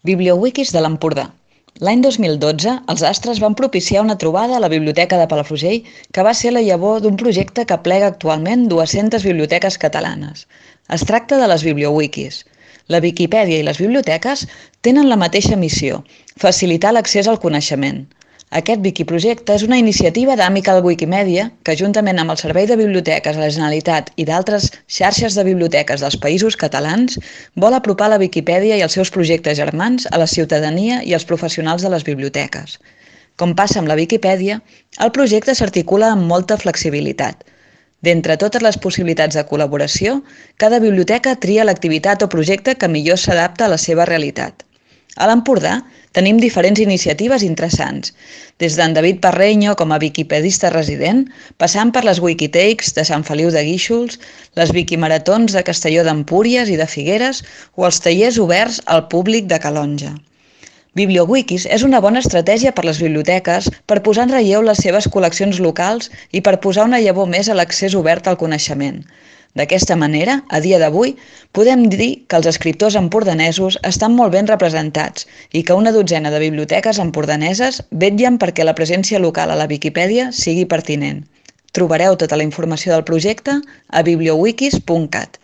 Bibliowikis de l'Empordà. L'any 2012, els astres van propiciar una trobada a la Biblioteca de Palafrugell que va ser la llavor d'un projecte que aplega actualment 200 biblioteques catalanes. Es tracta de les Bibliowikis. La Viquipèdia i les biblioteques tenen la mateixa missió: facilitar l'accés al coneixement. Aquest Wikiprojecte és una iniciativa d'Amical Wikimedia que, juntament amb el Servei de Biblioteques de la Generalitat i d'altres xarxes de biblioteques dels Països Catalans, vol apropar la Viquipèdia i els seus projectes germans a la ciutadania i als professionals de les biblioteques. Com passa amb la Viquipèdia, el projecte s'articula amb molta flexibilitat. D'entre totes les possibilitats de col·laboració, cada biblioteca tria l'activitat o projecte que millor s'adapta a la seva realitat. A l'Empordà tenim diferents iniciatives interessants, des d'en David Parreño com a viquipedista resident, passant per les Wikitakes de Sant Feliu de Guíxols, les Wikimaratons de Castelló d'Empúries i de Figueres o els tallers oberts al públic de Calonge. Bibliowikis és una bona estratègia per les biblioteques per posar en relleu les seves col·leccions locals i per posar una llavor més a l'accés obert al coneixement. D'aquesta manera, a dia d'avui, podem dir que els escriptors empordanesos estan molt ben representats i que una dotzena de biblioteques empordaneses vetllen perquè la presència local a la Viquipèdia sigui pertinent. Trobareu tota la informació del projecte a bibliowikis.cat.